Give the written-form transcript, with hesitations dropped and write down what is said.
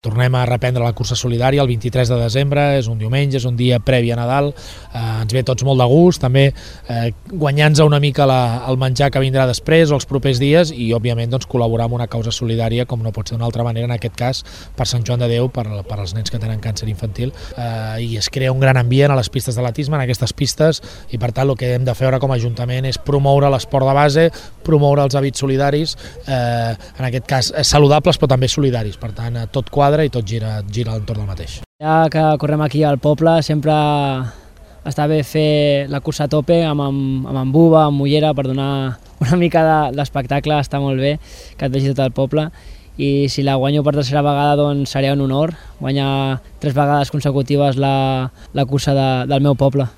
Tornem a reprendre la cursa solidària el 23 de desembre, és un diumenge, és un dia previ a Nadal, ens ve tots molt de gust, també guanyant-nos una mica el menjar que vindrà després o els propers dies i, òbviament, doncs, col·laborar amb una causa solidària, com no pot ser d'una altra manera, en aquest cas, per Sant Joan de Déu, per als nens que tenen càncer infantil, i es crea un gran ambient a les pistes d'atletisme, en aquestes pistes, i per tant el que hem de fer ara com a Ajuntament és promoure l'esport de base, promoure els hàbits solidaris, en aquest cas saludables però també solidaris, per tant tot quadra i tot gira a l'entorn del mateix. Ja que correm aquí al poble sempre està bé fer la cursa a tope amb buba, amb mullera, per donar una mica d'espectacle, està molt bé que et vegi tot el poble, i si la guanyo per tercera vegada doncs seria un honor guanyar 3 vegades consecutives la cursa del meu poble.